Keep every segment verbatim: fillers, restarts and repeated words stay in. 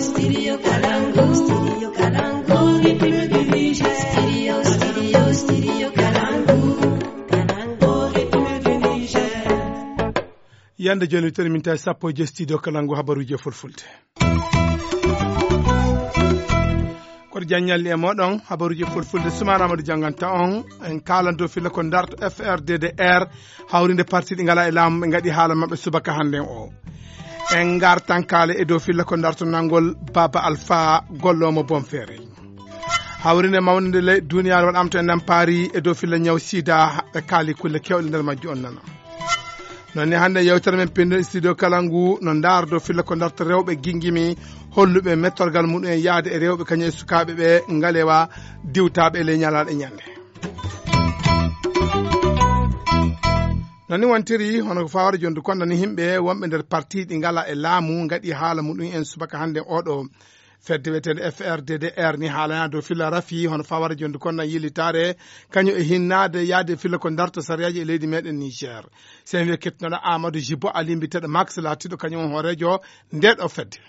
Studio Kalangu. Studio Kalangu. Studio, studio, studio Kalangu. Kalangu, République du Niger. Yande jooni, wittere min tawi sappo e joy studio Kalangu, habaruuji e fulfulde. Koto Diagne Ally e mooɗon, habaruuji e fulfulde, Soumana Amadou jannganta on. En kaalan dow filla ko darto F R D D R, hawrinde parti ɗi ngalaa e laamu, ɓe ngaɗi haala maɓɓe subaka hannden o. En ngartan kaala e dow filla ko darto nanngol Baba Alpha golloomo Bonferre. Hawrinde mawnde nde le duniyaaru waɗaama to e Nampaari e dow filla ñaw sida, ɓe kaali kulle keewɗe nder majju on nana. Noon ni hannde yewtere men pinndo studio Kalangu no ndaara dow filla ko darto rewɓe gingimi holluɓe mettorgal muɗum en yahde e rewɓe kañum e sukaaɓe ɓe ngalewa diwtaaɓe e ley ñalaaɗe ñande. Noon ni wontiri hono ko fawata jondu konda ni yimɓe wonɓe nder parti ɗi ngala e laamu ngaɗi haala muɗum en subaka hannde oɗo. Fedde wiyeteende F R D D R ni haalana dow filla rafi hono fawata jondu konda yillitaare kañum e hinnaade yaade filla ko darto sariyaaji e leydi meɗen Niger. Sen wiye kettunoɗo Amadou Jibo Ali mbiteɗo Max laatiɗo kañum on hooreejo nde ɗo fedde.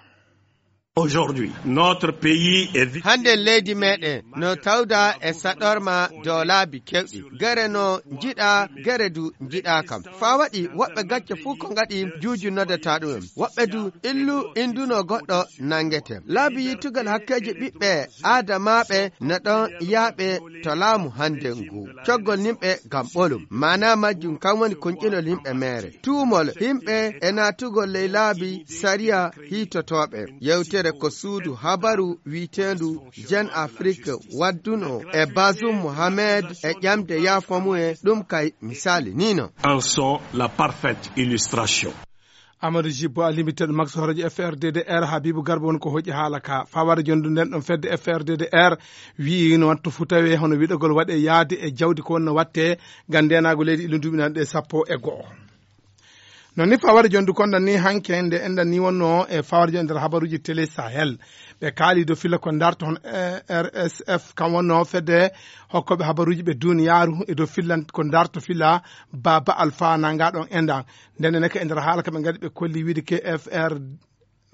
Aujourd'hui, notre pays est vi- Hannde leydi meɗen no tawda e saɗorma dow laabi kewɗi. Gere no njiɗa, gere du njiɗa kam. Faa waɗi woɓɓe gacce fuu ko ngaɗi juuju noddata ɗum en. Woɓɓe du illu induno goɗɗo nangete. Laabi yittugal hakkeeji ɓiɓɓe aadamaaɓe no ɗon yaaɓe to laamu hannde ngu. Coggol nimɓe ngam ɓolum. Maanaa majjum kam woni konƴinol yimɓe meere. Tuumol yimɓe e naatugol ley laabi sariya hiitotooɓe. Yewtere ko suudu habaru wiiteendu Jeune Afrique wadduno e Bazoum Mohamed e ƴamde yaafo mum e ɗum kay misaali ni no. En sont la parfaite illustration. Amadou Jibbo a limiteɗo Max Horojo F R D D R Habibou Garba woni ko hoƴi haala ka. Fawade jondu nden ɗon fedde F R D D R wi'i no wattu fu tawe hono wiɗogol waɗe yaade e jawdi ko wonno watte ngam ndenaagu leydi illu duuɓi nan ɗe sappo e go'o. Non ni fawade jondu kondan ni hanke nde enɗan ni wonno e fawade jondu nder habaruji Télé Sahel. Ɓe kaali dow filla ko darto hon, eh, R S F kam wonno fedde hokkoɓe habaruji ɓe duniyaaru e dow fillan ko darto filla Baba Alpha nanga ɗon enɗan. Nden ne ka e nder haala ka ɓe ngadi ɓe kolli wiide ke F R,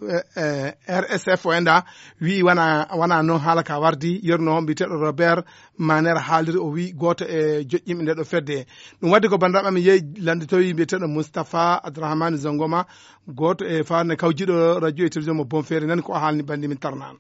eh, eh, R S F o enɗa wi'i wana, wana non haala ka wardi yerno on mbiyeteɗo Robert Maner haaliri o wi'i gooto e joƴƴinɓe nde ɗo fedde. Ɗum waddi ko banndiraaɓe amen yehi lannditowi mbiyeteɗo Moustapha Abdourahmane Zongoma, gooto e faarne kawjiɗo radio e télévision mo Bonferre nani ko o haalni banndi min tarnaan.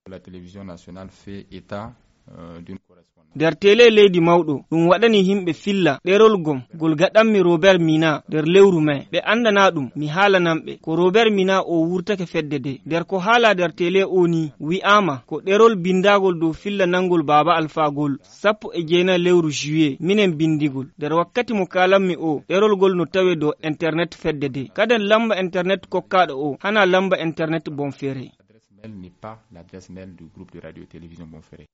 La télévision nationale fait état, euh, d'une correspondance. Nder tele leydi mawɗo, ɗum waɗani yimɓe filla ɗerol gom, gol gaɗanmi Robert Mina nder lewru mai. Ɓe anndanaa ɗum, mi haalanan ɓe. Ko Robert Mina o wurtake fedde de. Nder ko haala nder tele o ni, wi'aama ko ɗerol binndagol dow filla nanngol Baaba Alfaa gol, sappo e jeenayi lewru juillet, minen binndi ngol. Nder wakkati mo kaalanmi o, ɗerol ngol no tawee dow internet fedde de. Kaden lamba internet kokkaaɗo o, hanaa lamba internet Bonferre. L'adresse mail n'est pas l'adresse mail du groupe de radio et télévision Bonferre.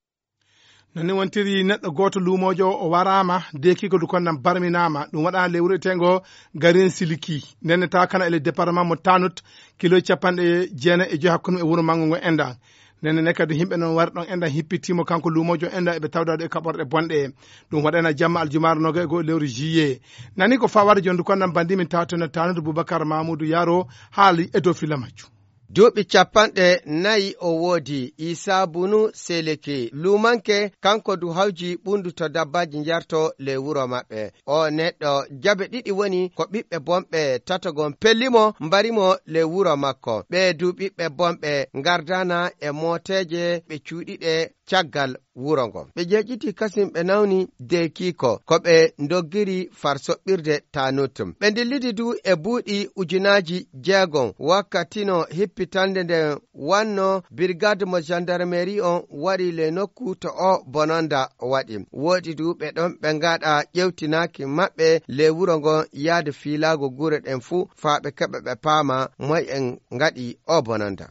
Non ni wontiri neɗɗo gooto luumoojo o waraama, deekiiko du konnan barminaama. Ɗum waɗaama ley wuro eteengo Garin Siliki. Nden ne tawa kana e ley département mo Tanut, kilo capanɗe jeenayi e joy hakkunde e wuro manngo ngo enɗan. Nden ne kadi yimɓe non wari ɗon enɗan hippitiimo kanko luumoojo enɗan eɓe tawda ɗo e kaɓorɗe bonɗe. Ɗum waɗana jamma aljumaare noga e goo lewru juillet. Nani ko fawade jondu konnan banndi min tawteno Tanut Boubacar Mamoudou Yaro haali e dow filla majjum. Duuɓi capanɗe nayi o woodi, Isa Bunu Seleke, luumanke, kanko du hawji ɓunndu to dabbaaji njarto ley wuro maɓɓe. O neɗɗo jabe ɗiɗi woni ko ɓiɓɓe bonɓe tato gon pelli mo, mbari mo ley wuro makko. Ɓee du ɓiɓɓe bonɓe ngardana e mooteeje ɓe cuuɗiɗe caggal wuro ngo. Ɓe jeeƴiti kasin ɓe nawni deekiiko, ko ɓe ndoggiri far soɓɓirde Tanut. Ɓe ndillidi du e buuɗi ujunaaji jeegom, wakkati no hippitande nden wanno, birgade mo gendarmerie on wari le nokku to o bononda waɗi. Woodi du ɓe ɗon ɓe ngaɗa ƴewtinaaki maɓɓe le wuro ngon yaade fiilaago gure ɗen fuu, faa ɓe keɓa ɓe paama moy en ngaɗi o bononda.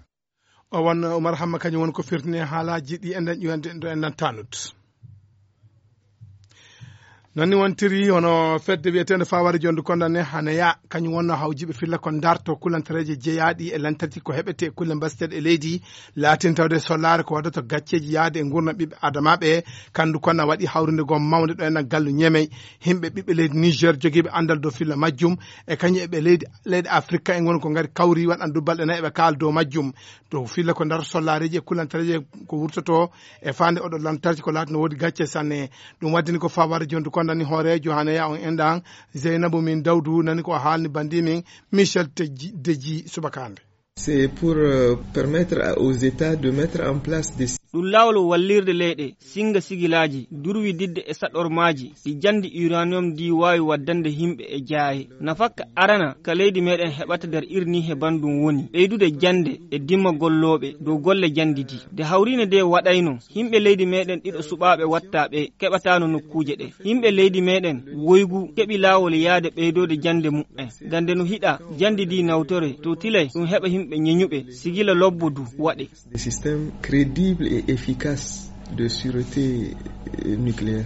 O won Oumar Hamma, kañum woni ko firtini e haalaaji ɗi enɗan ƴuwande ɗo enɗan Tanut. Noon ni wontiri hono fedde wiyeteende Faware Jondu Konda ne, Haneya, kañum wonno hawjiiɓe filla ko darto kulantareeje jeyaaɗe e lantarki ko heɓetee e kulle mbaseteeɗe e leydi. Laatin tawde sollaare ko waɗata gacceeji yahde e nguurndam ɓiɓɓe Adamaaɓe. Kandu Konda waɗi hawrinde goo mawnde ɗo e nder gallu Ñemey. Yimɓe ɓiɓɓe leydi Niger jogiiɓe anndal dow filla majjum e kañum e ɓe leydi, leyɗe Afirka en woni ko ngari kawri waɗan du balɗe nayi eɓe kaala dow majjum. Dow filla ko darto sollaareeji e kulantareeje ko wurtotoo e faande oɗo lantarki ko laati no woodi gacce sanne. Ɗum waddini ko Faware Jondu Konda ni hooreejo Haneya on enɗan Zeynabu min Dawdu nani ko haalni bandi min Michel Teji-, Deji subaka hannde. C'est pour, euh, permettre à, aux États de mettre en place des Ɗum laawol wallirde leyɗe, singa sigilaaji, durwididde e saɗormaaji, ɗi janndi uranium ndi waawi waddande yimɓe e jaaye. Nafakka arana ka leydi meɗen heɓata nder irni he banndum woni ɓeydude jannde e dimma gollooɓe dow golle janndi di. Nde hawriine nde waɗayno, yimɓe leydi meɗen ɗiɗo suɓaaɓe watta ɓe keɓataano nokkuuje ɗe. Yimɓe leydi meɗen woygu keɓi laawol yaade ɓeydoode jannde muɓɓen. Ngam nde no hiɗa janndi di nawtore to tilay ɗum heɓa yimɓe ñeñuɓe, sigila lobbo du waɗe. Des systèmes crédibles et efficaces de sûreté, euh, nucléaire.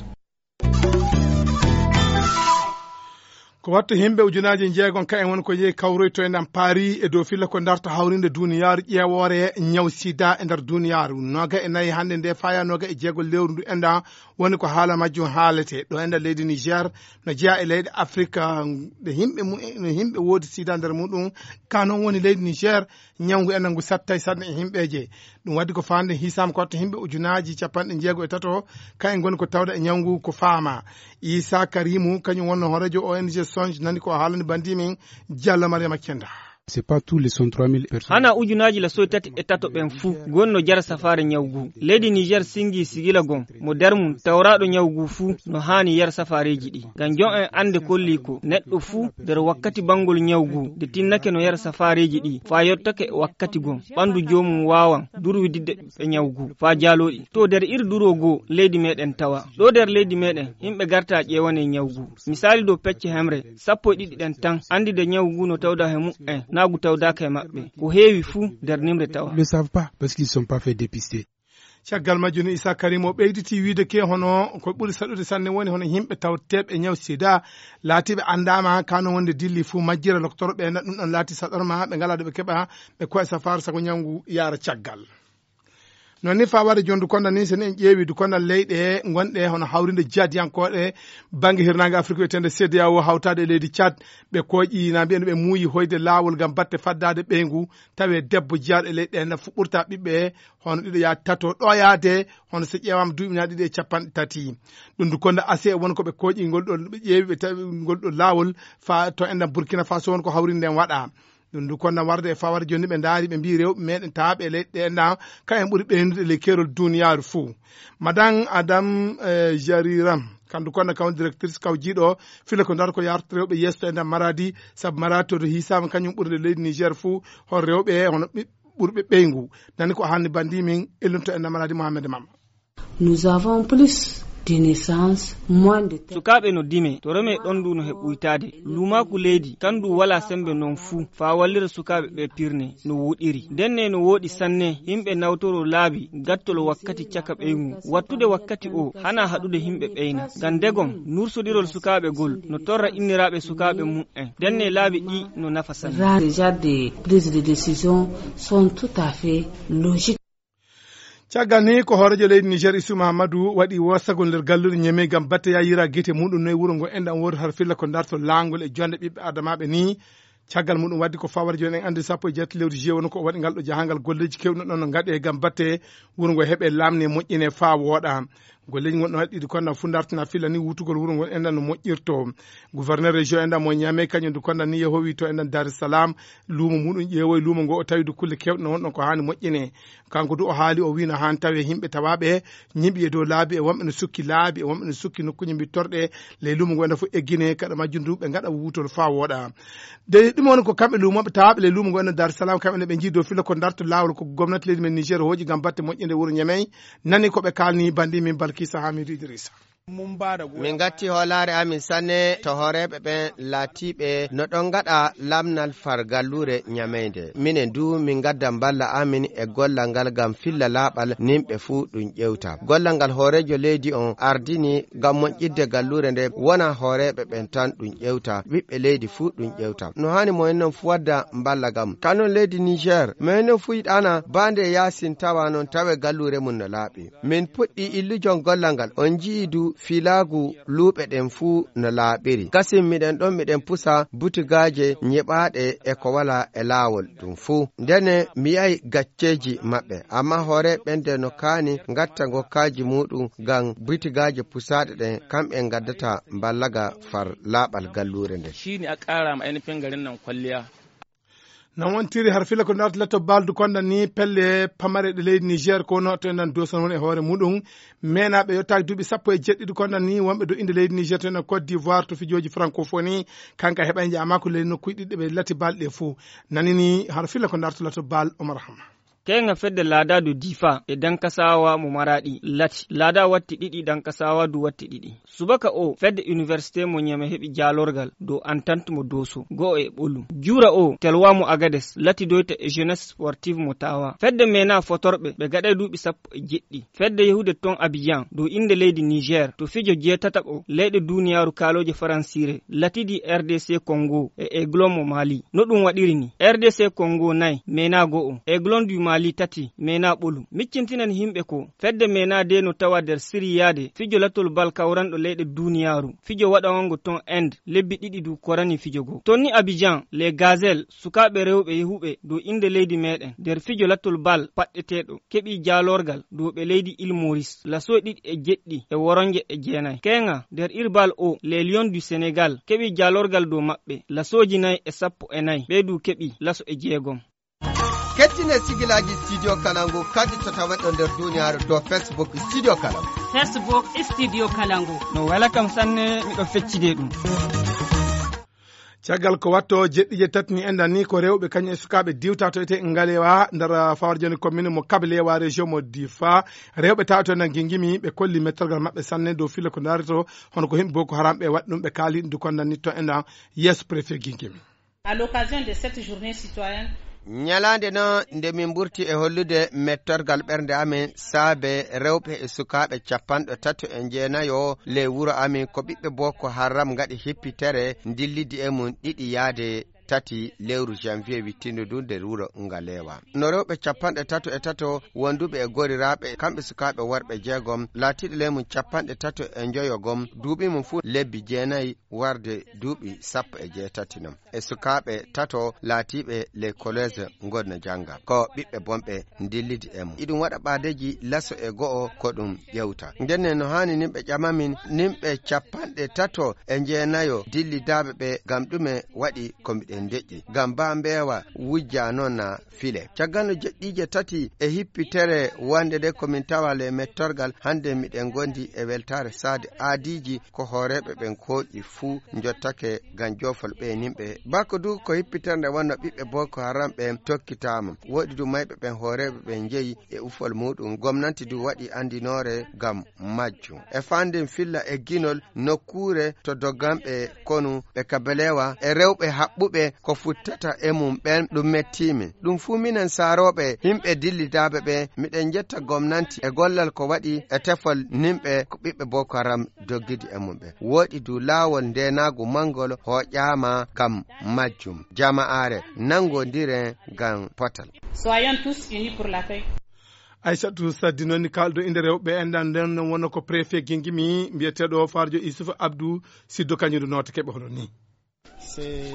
Ko wattu himɓe ujunaaji jeegom ka en woni ko yehi kawroyto e nder Paris e dow filla ko darto hawrinde duniyaaru ƴeewoore ñaw sida e nder duniyaaru. Noga e nayi hannde nde faya noga e jeego lewru ndu enɗan woni ko haala majjum haalete. Ɗo enɗan leydi Niger no jeya e leyɗe Afrika ɗe himɓe mu-, no himɓe woodi sida nder muɗum. Ka noon woni leydi Niger ñawngu enɗan ngu sattay sanne e himɓeeje. Ɗum waddi ko faande hisaama ko watta himɓe ujunaaji capanɗe jeego e tato, kayen ngoni ko tawda e ñawngu ko faama. Isa Karimu, kañum wonno hooreejo O N G Songe, nani ko haalani bandi min Diallo Mariama Kenda. C'est pas tous les cent trois mille personnes. Hana ujunaaji la soy tati e tato ɓen fuu, gon no jara safaare ñaw gu. Leydi Niger singi sigila gon, mo der mum tawraaɗo ñaw gu fuu no haani yar safaareeji ɗi. Ngam jon en annde kolli ko neɗɗo fuu nder wakkati banngol ñaw gu, de tinnake no yar safaareeji ɗi, faa yottake wakkati gon, ɓanndu joomum waawan durwididde ɓe ñaw gu, faa jaaloo ɗi. To nder iri duroo goo leydi meɗen tawa. Ɗo nder leydi meɗen, yimɓe garta ƴeewane ñaw gu. Misaali dow pecce hemre, sappo e ɗiɗi ɗen tan, anndi de ñaw gu no tawda he muɓɓen, naa gu tawdaaka he maɓɓe. Ko heewi fuu nder nimre tawa. Ils le savent pas, parce qu'ils sont pas fait dépister. Caggal majjum, Issa Karim o ɓeyditi wiide ke hono ko ɓuri saɗude sanne woni hono yimɓe tawteeɓe e ñaw sida, laatiiɓe anndaama kano wonde dilli fuu majjira loktoro ɓe, na ɗum ɗon laati saɗorma, ɓe ngalaa ɗo ɓe keɓa ɓe koye safaaru sago ñaw ngu yaara caggal. Noon ni faa ware jondu konda ni, sen en ƴeewi du konda leyɗe gonɗe hono hawrinde jihadiyankooɓe bannge hirnaange Afrik wiyeteende C D A O hawtaade e leydi Tchad, ɓe kooƴi na mbiyen ɓe muuyi hoyde laawol ngam batte faddaade ɓeyngu, tawi debbo jiyaaɗo e leyɗe ɗe na fuɓɓorta ɓiɓɓe hono ɗiɗo yaa tato ɗo yaade, hono so ƴeewaama duuɓi na ɗiɗi e capanɗe tati. Ɗum du konda ase won ko ɓe kooƴi ngol ɗo, ɓe ƴeewi ɓe tawi ngol ɗo laawol faa to enɗan Burkina Faso won ko hawrinde en waɗa. Ɗum du konda warde e fawar jooni ɓe ndaari ɓe mbii rewɓe meɗen taaɓe e leyɗe ɗe enɗan ka en ɓuri ɓeynude ley keerol duniyaaru fuu. Madame Adam, eh, Jariram, kandu konda kawon directrice kawjiiɗo fila ko ndar ko yarta rewɓe yeeso e nder Maradi, sabu Maradi to hisaama kañum ɓurde leydi Niger fuu, hol rewɓe hono ɓi-, ɓurɓe ɓeyngu. Nani ko haalni bandi min ellunto e nder Maradi Mohamed Mama. Nous avons plus de naissances, moins de terres. Sukaaɓe no dime, to reme ɗon ndu no he ɓuytaade. Luumaaku leydi, kan ndu walaa sembe non fuu, faa wallira sukaaɓe ɓe pirne, no woɗiri. Ndenne no wooɗi sanne, yimɓe nawtoro laabi, gattol wakkati caka ɓeyngu. Wattude wakkati o, hana haɗude yimɓe ɓeyna. Ngam ndegom, nursodirol sukaaɓe gol, no torra inniraaɓe sukaaɓe mum'en. Ndenne laabi ɗi no nafa sanne. Rare déjà des prises de décision sont tout à fait logiques. Caggal ni, ko hooreejo leydi Niger, Isu Mahamadou, waɗi woosagol nder galluɗe Ñeme ngam batte yayira gite muɗum noye wuro ngo enɗan woodu har filla ko darto laangol e jonde ɓiɓɓe adamaaɓe ni. Caggal muɗum waddi ko fawar jooni en anndi sappo e jeetati lewru juillet woni ko o waɗi ngal ɗo jahangal golleeji kewɗi no ɗon no ngaɗe ngam batte wuro ngo heɓe laamne moƴƴine faa wooɗa. Golleeji ngon ɗon haɗɗiɗi konda fuu dartina filla ni wutugol wuro ngo enɗan no moƴƴirto. Gouverneur région enɗan mo Ñame kañum du konda ni yehowi to enɗan Dar es Salaam, luumo muɗum ƴeewoy luumo ngo o tawi du kulle kewɗe no wonɗon ko haani moƴƴine. Kanko du o haali, o wiino haan tawi yimɓe tawaaɓe ñiɓi e dow laabi, e wonɓe no sukki laabi, e wonɓe no sukki nokkuuje mbittorɗe ley luumo ngo ene fof eggine, kaɗa majjum du ɓe ngaɗa wuutol faa wooɗa. De ɗum woni ko kamɓe luumooɓe tawaaɓe ley luumo ngo ene Dar Salam, kamɓe ne ɓe njii dow filo ko darto laawol ko gomnati leydi men Niger hooƴi ngam batte moƴƴinde wuro Ñemey. Nani ko ɓe kaalni bandi min Balkisa Hamidu Idrissa. Min ngatti hoolaare amin sanne to hooreeɓe ɓen laatiiɓe no ɗon ngaɗa lamnal far galluure Ñameynde. Minen duu, min ngadda mballa amin e gollal ngal ngam filla laaɓal nimɓe fuu ɗum ƴewta. Gollal ngal hooreejo leydi on ardini ngam moƴƴidde galluure nde wona hooreeɓe ɓen tan ɗum ƴewta, ɓiɓɓe leydi fuu ɗum ƴewta. No haani mo en non fuu wadda mballa ngam. Ka non leydi Niger, mo en non fuu yiɗaana baa nde yaasin tawa non tawe galluure mum no laaɓi. Min puɗɗii illujon gollal ngal. On nji'ii du fiilaagu luuɓe ɗen fuu no laaɓiri. Kasin miɗen ɗon miɗen pusa butigaaje nyiɓaaɗe e ko walaa e laawol ɗum fuu. Ndene mi yi'ay gacceeji maɓɓe. Ammaa hooreeɓe ɓen de no kaani ngatta ngokkaaji muuɗum ngam butigaaje pusaaɗe ɗen, kamɓe ngaddata mballaga far laaɓal galluure nden. Shi ne a ƙara ma ainihin garin nan kwalliya. Non wontiri har fila ko naata latto baldu konda ni pelle pamare ɗe leydi Niger ko no to enɗan doson woni e hoore muɗum. Menaaɓe yottaaki duuɓi sappo e jeɗɗiɗi konda ni wonɓe do inde leydi Niger to enɗan Côte d'Ivoire to fijooji francophonie. Kanka heɓa e jaama ko leydi nokkuuji ɗiɗi ɓe lati balɗe fuu. Nani ni har fila ko naata latto bal Omar Hama. Keeŋa fedde laada du Difa e Dankasawa mo Maraɗi lati. Laada watti ɗiɗi, Dankasawa du watti ɗiɗi. Subaka o, fedde université mo Ñeme heɓi jaalorgal dow entente mo Dooso, go'o e ɓolum. Juura o, Telwa mo Agades lati doyta e Jeunesse Sportive mo Tawa. Fedde Mena fotorɓe ɓe gaɗay duuɓi sappo e jeɗɗi. Fedde yahude ton Abidjan dow innde leydi Niger to fijo jeetataɓo leyɗe duuniyaaru kaalooje faransiire latidi R D C Congo e Aiglon mo Mali. No ɗum waɗiri ni, R D C Congo nay, Mena go'o, Aiglon du Mali tati, Mena ɓolum. Miccintinan himɓe ko fedde Mena de no tawa nder siriyaade fijo latol bal kawranɗo leyɗe duuniyaaru. Fijo waɗawango ton Inde lebbi ɗiɗi du korani fijo go. Tonni Abidjan, les Gazelles, sukaaɓe rewɓe yahuɓe dow innde leydi meɗen nder fijo latol bal paɗɗeteeɗo, keɓi jaalorgal dow ɓe leydi Île Maurice, lasoy ɗiɗi e jeɗɗi e woronje e jeenay. Keeŋa nder irbal o, les Lions du Sénégal keɓi jaalorgal dow maɓɓe, lasooji nay e sappo e nay, ɓe du keɓi laso e jeegom. Kettine sigilaaji Studio Kalangu kadi to taweɗo nder duniyaaru dow Facebook Studio Kalangu. Facebook Studio Kalangu. No wela kam sanne, miɗo feccide ɗum. Caggal ko watto jeɗɗiije tati ni enɗan ni ko rewɓe kañum e sukaaɓe diwta to ete Ngalewa nder fawarjoni commune mo Kabalewa région mo Difa. Rewɓe tawa to enɗan gingimi ɓe kolli mettorgal maɓɓe sanne dow filo ko ndaarito hono ko himɓe Boko Haram ɓe waɗi ɗum ɓe kaali ɗum du konɗan ni to enɗan yeeso préfet gingimi. À l'occasion de cette journée citoyenne. Ñalaande no nde min mburti e hollude mettorgal ɓernde amin saabe rewɓe e sukaaɓe capanɗe tato e jeenayo ley wuro amin ko ɓiɓɓe Boko Haram ngaɗi hippitere ndillidi e mum ɗiɗi yaade tati lewru janvier wittindo ndu nder wuro Ngalewa. No rewɓe capanɗe tato e tato wonduɓe e goriraaɓe kamɓe sukaaɓe worɓe jeegom laatiiɗo ley mum capanɗe tato e njoyo gom duuɓi mum fuu lebbi jeenayi warde duuɓi sappo e jeetati non. E sukaaɓe tato laatiiɓe les collèges ngonno jannga. Ko ɓiɓɓe bonɓe ndillidi e mum. Iɗum waɗa ɓaadeeji laso e go'o ko ɗum ƴewta. Ndenne no haani nimɓe ƴamamin, nimɓe capanɗe tato e jeenayo dillidaaɓe ɓe ngam ɗume waɗi ko miɗen deƴƴi. Ngam baa mbeewa wujja noon na file. Caggal no jeɗɗiije tati e hippitere wonde nde ko min tawa le mettorgal, hannde miɗen ngondi e weltaare saade aadiiji ko hooreeɓe ɓen kooƴi fuu njottake ngam joofol ɓe nimɓe. Bako du ko hippitere nde wonno ɓiɓɓe Boko Haram ɓen tokkitaama. Woɗi du mayɓe ɓen hooreeɓe ɓen njeyi e ufol muɗum. Gomnanti du waɗi anndinoore ngam majjum. E fanden filla e ginol nokkuure to dogganɓe konu ɓe Kabalewa e rewɓe haɓɓuɓe ko futtata e mum ɓen ɗum mettiimi. Ɗum fuu minen saarooɓe himɓe dillidaaɓe ɓe, miɗen njetta gomnanti e gollal ko waɗi e tefol nimɓe ko ɓiɓɓe Boko Haram doggidi e mum ɓe. Woɗi du laawol ndeenaagu manngol hooƴaama ngam majjum. Jama'aare nanngondiren ngam potal. Soyons tous unis pour la paix. Aissatou Saddi noon ni kaalɗo innde rewɓe enɗan nden wonno ko préfet Gingimi mbiyeteeɗo Farjo Issouf Abdou Siddo kañum du noota keɓe hono ni. C'est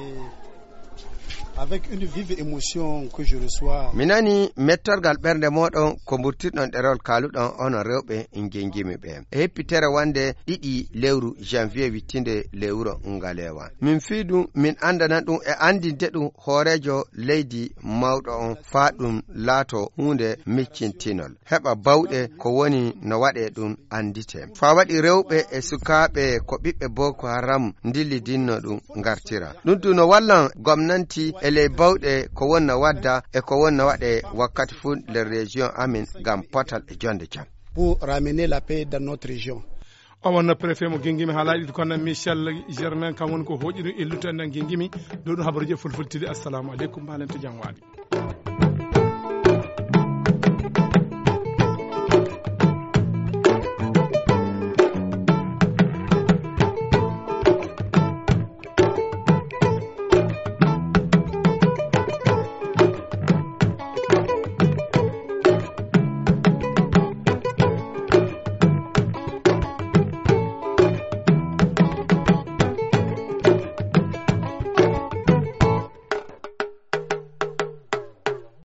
avec une vive émotion que je reçois. Mi nani mettorgal ɓernde mooɗon ko mburtirɗon ɗerewol kaaluɗon onon rewɓe Gingimi ɓe. E heppitere wonde ɗiɗi lewru janvier wittinde lewru Ngalewa. Min fii ɗum, min anndana ɗum e anndinde ɗum hooreejo leydi mawɗo on faa ɗum laato huunde miccintinol. Heɓa bawɗe ko woni no waɗee ɗum annditee. Faa waɗi rewɓe e sukaaɓe ko ɓiɓɓe Boko Haram ndillidinno ɗum ngartira. Ɗum tun no wallan gomnanti e ley bawɗe ko woni no wadda e ko woni no waɗee wakkati fuu nder région amin ngam potal e jonde jam. Pour ramener la paix dans notre région. O wonno préfet mo Gingimi, haalaaji ɗi kono Michel Germain, kam woni ko hooƴi ɗum illude en Gingimi. Ɗo ɗum habaruuji e fulfulde. Assalamu aleykum, mbaalen to jam waali.